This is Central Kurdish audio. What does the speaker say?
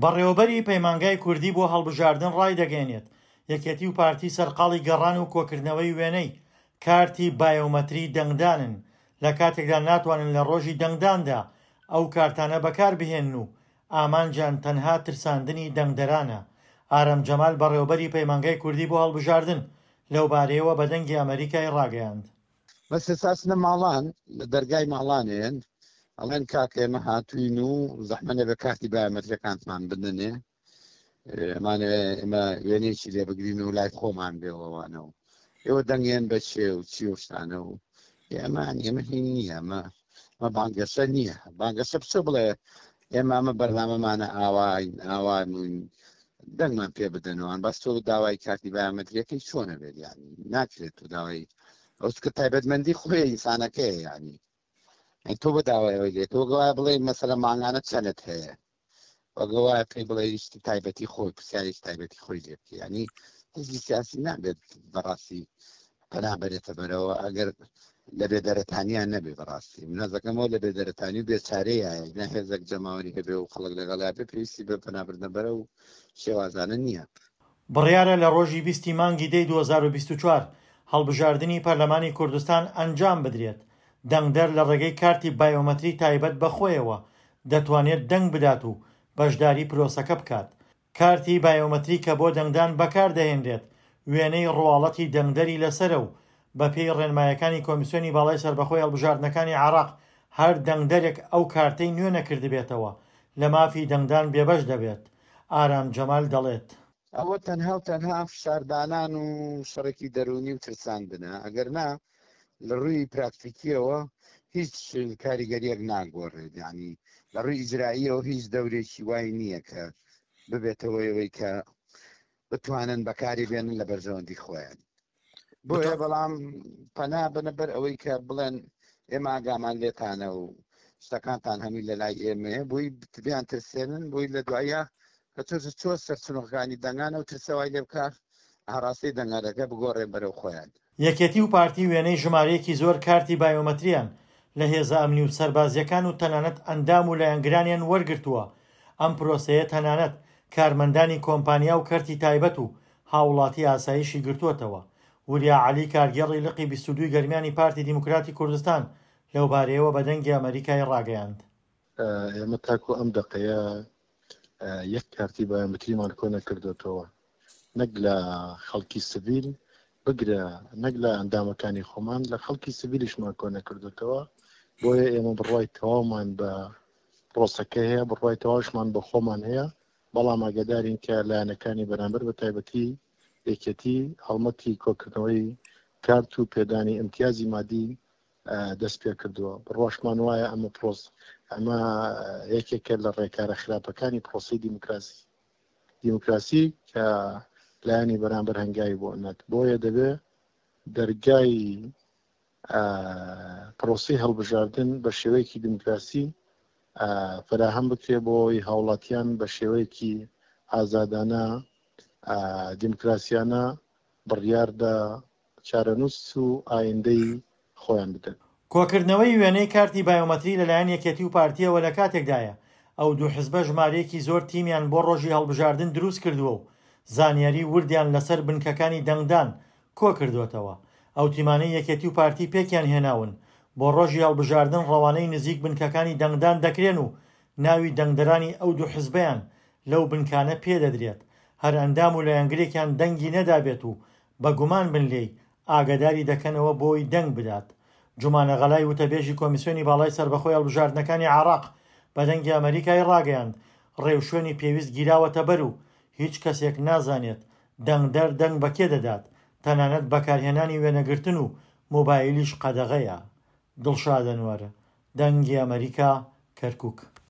بەڕێوەبەری پەیمانگای کوردی بۆ هەڵبژاردن ڕایدەگەیەنێت، یەکێتی و پارتی سەرقاڵی گەڕان و کۆکردنەوەی وێنەی کارتی بایۆمەتری دەنگدانن، لە کاتێکدا ناتوانن لە ڕۆژی دەنگداندا ئەو کارتانە بەکاربهێنن و ئامانجیان تەنها ترساندنی دەنگدەرانە. ئارام جەمال بەڕێوەبەری پەیمانگای کوردی بۆ هەڵبژاردن لەوبارەیەوە بە دەنگی ئەمەریکای ڕاگەیاند. بەس ئێستا ئەچنە ماڵان لە دەرگای ماڵانێن ئەڵێن کاکە ئێمە هاتوین و زەحمە نەبێ کارتی بایۆمەتریەکانتمان بدەنێ ئەمانەوێ ئێمە وێنەیەکی لێ بگرین و لای خۆمان بێەوەوانە و ئێوە دەنگێن بە چێ و چی و شتانە و ئێمە ئێمە هین نییە ئەمە ئەمە بانگەشە نییە بانگەشە بچۆ بڵێ ئێمە ئەمە بەرنامەمانە ئاواین ئاوان دەنگمان پێ بدەنەوەن بەس تۆ داوای کارتی بایۆمەتریەکەی چۆنە بێت یعنی ناکرێت تۆ داوای ئەو چکە تایبەتمەندی خۆی ئینسانەکەیە یعنی تۆ بە داوای ئەوەی لێ تۆ گەوایە بڵێ مەسەلە مانگانە چەنت هەیە وەگەوایە پێی بڵێ شتی تایبەتی خۆی پرسیارێکی تایبەتی خۆی لێ بکە ینی حزبی سیاسی نابێت بەڕاستی پەنا بەرێتە بەرەوە ئەگەر لە بێدەرەتانیان نەبێ بەڕاستی منەزەکەمەوە لە بێدەرەتانی و بێچارەیە نە هێزێک جەماوەری هەبێ و خەڵک لەگەڵیا بێ پێویستی بە پەنابردنە بەرە و شێوازانە نییە. بڕیارە لە ڕۆژی بیستی مانگی دەی 2024 هەڵبژاردنی پەرلەمانی کوردستان ئەنجام بدرێت، دەنگدەر لە ڕێگەی کارتی بایۆمەتری تایبەت بە خۆیەوە دەتوانێت دەنگ بدات و بەشداری پرۆسەکە بکات. کارتی بایۆمەتری کە بۆ دەنگدان بەکاردەهێنرێت، وێنەی ڕواڵەتی دەنگدەری لەسەرە و بەپێی ڕێنمایەکانی کۆمیسیۆنی باڵای سەربەخۆی هەڵبژاردنەکانی عێراق هەر دەنگدەرێک ئەو کارتەی نوێ نەکردبێتەوە لە مافی دەنگدان بێبەش دەبێت. ئارام جەمال دەڵێت. ئەوە تەنها و تەنها فشاردانان و شەڕێکی دەروونی و ترساندنە، ئەگەر نا لە ڕووی پراکتیکیەوە هیچ کاریگەریەک ناگۆڕێت یعنی لە ڕووی ئیجراییەوە هیچ دەورێکی وای نییە کە ببێتەوە ئەوەی کە بتوانن بەکاری بێنن لە بەرژەوەندی خۆیان بۆیە بەڵام پەنا بنە بەر ئەوەی کە بڵێن ئێمە ئاگامان لێتانە و شتەکانتان هەمووی لە لای ئێمەیە بۆی بیان ترسێنن بۆی لە دوایە کە تۆ چۆ سەر چنۆکانی دەنگانە و ترسەوای لێ بکە ئاڕاستەی دەنگەرەکە بگۆڕێن بەرەو خۆیان. یەکێتی و پارتی وێنەی ژمارەیەکی زۆر کارتی بایۆمەتریان لە هێزە ئەمنی و سەربازییەکان و تەنانەت ئەندام و لایەنگرانیان وەرگرتووە، ئەم پرۆسەیە تەنانەت کارمەندانی کۆمپانیا و کەرتی تایبەت و هاوڵاتی ئاسایشی گرتووەتەوە. وریا عەلی کارگێڕی لقی 22 ی گەرمیانی پارتی دیموکراتی کوردستان لەوبارەیەوە بە دەنگی ئەمەریکای ڕاگەیاند. ئێمە تاکو ئەم دەقەیە یەک کارتی بایۆمەتریمان کۆ نەکردۆتەوە نەک لە خەڵکی سڤیل بگرە نەک لە ئەندامەکانی خۆمان لە خەڵکی سڤیلیشمان کۆ نەکردوتەوە بۆیە ئێمە بڕوای تەواومان بە پرۆسەکە هەیە بڕوای تەواوشمان بە خۆمان هەیە بەڵام ئاگادارین کە لایەنەکانی بەرامبەر بە تایبەتی یەکێتی هەڵمەتی کۆکردنەوەی کارت و پێدانی ئیمتیازی مادی دەست پێ کردووە بڕواشمان وایە ئەمە پرۆس ئەمە یەکێکە لە ڕێکارە خراپەکانی پرۆسی دیموکراسی دیموکراسی کە لایەنی بەرامبەر هەنگاوی بۆ نەت بۆیە دەبێ دەرگای پرۆسی هەڵبژاردن بە شێوەیەکی دیموکراسی فراهەم بکرێ بۆ ئەوەی هاوڵاتیان بە شێوەیەکی ئازادانە دیموکراسیانە بڕیار بە چارەنووس و ئایندەی خۆیان بدەن. کۆکردنەوەی وێنەی کارتی بایۆمەتری لەلایەن یەکێتی و پارتییەوە لەکاتێکدایە، ئەو دوو حزبە ژمارەیەکی زۆر تیمیان بۆ ڕۆژی هەڵبژاردن دروستکردووە و زانیاری وردیان لەسەر بنکەکانی دەنگدان کۆکردووەتەوە. ئەو تیمانەی یەکێتی و پارتی پێکیان هێناون، بۆ ڕۆژی هەڵبژاردن ڕەوانەی نزیک بنکەکانی دەنگدان دەکرێن و ناوی دەنگدەرانی ئەو دوو حزبەیان لەو بنکانە پێدەدرێت، هەر ئەندام و لایەنگرێکیان دەنگی نەدابێت و بە گومان بن لێی، ئاگاداری دەکەنەوە بۆی دەنگ بدات. جومانە غەلای وتەبێژی کۆمیسیۆنی باڵای سەربەخۆی هەڵبژاردنەکانی عێراق بە دەنگی ئەمەریکای ڕاگەیاند، ڕێوشوێنی پێویست گیراوەتەبەر و هیچ کەسێک نازانێت دەنگدەر دەنگ بە کێ دەدات، تەنانەت بەکارهێنانی وێنەگرتن و مۆبایلیش قەدەغەیە. دڵشاد ئەنوەر، دەنگی ئەمەریکا، کەرکوک.